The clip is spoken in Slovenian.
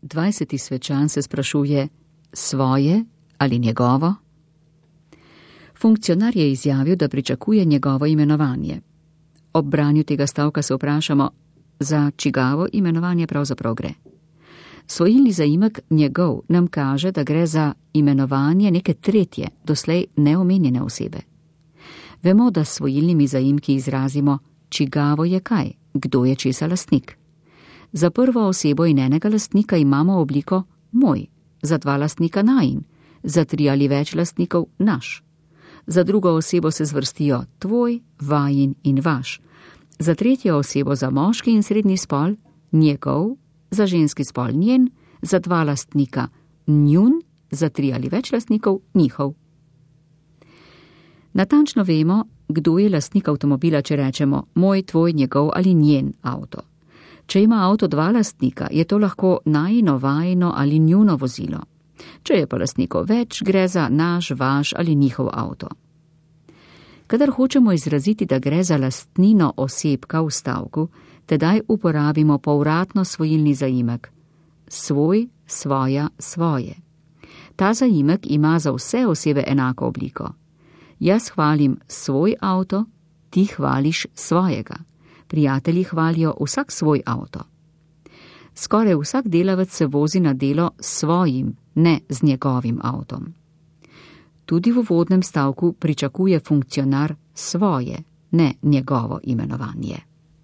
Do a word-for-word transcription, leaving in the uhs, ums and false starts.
dvajseti svečan se sprašuje svoje ali njegovo? Funkcionar je izjavil, da pričakuje njegovo imenovanje. Ob branju tega stavka se vprašamo, za čigavo imenovanje pravzaprav gre. Svojilni zaimek njegov nam kaže, da gre za imenovanje neke tretje, doslej neomenjene osebe. Vemo, da s svojilnimi zaimki izrazimo, čigavo je kaj, kdo je česa lastnik. Za prvo osebo in enega lastnika imamo obliko moj, za dva lastnika najin, za tri ali več lastnikov naš. Za drugo osebo se zvrstijo tvoj, vajin in vaš. Za tretjo osebo za moški in srednji spol njegov, za ženski spol njen, za dva lastnika njun, za tri ali več lastnikov njihov. Natančno vemo, kdo je lastnik avtomobila, če rečemo moj, tvoj, njegov ali njen avto. Če ima avto dva lastnika, je to lahko najino, vajino ali njuno vozilo. Če je pa lastnikov več, gre za naš, vaš ali njihov avto. Kadar hočemo izraziti, da gre za lastnino osebka v stavku, tedaj uporabimo povratno svojilni zaimek. Svoj, svoja, svoje. Ta zaimek ima za vse osebe enako obliko. Jaz hvalim svoj avto, ti hvališ svojega. Prijatelji hvalijo vsak svoj avto. Skoraj vsak delavec se vozi na delo s svojim, ne z njegovim avtom. Tudi v uvodnem stavku pričakuje funkcionar svoje, ne njegovo imenovanje.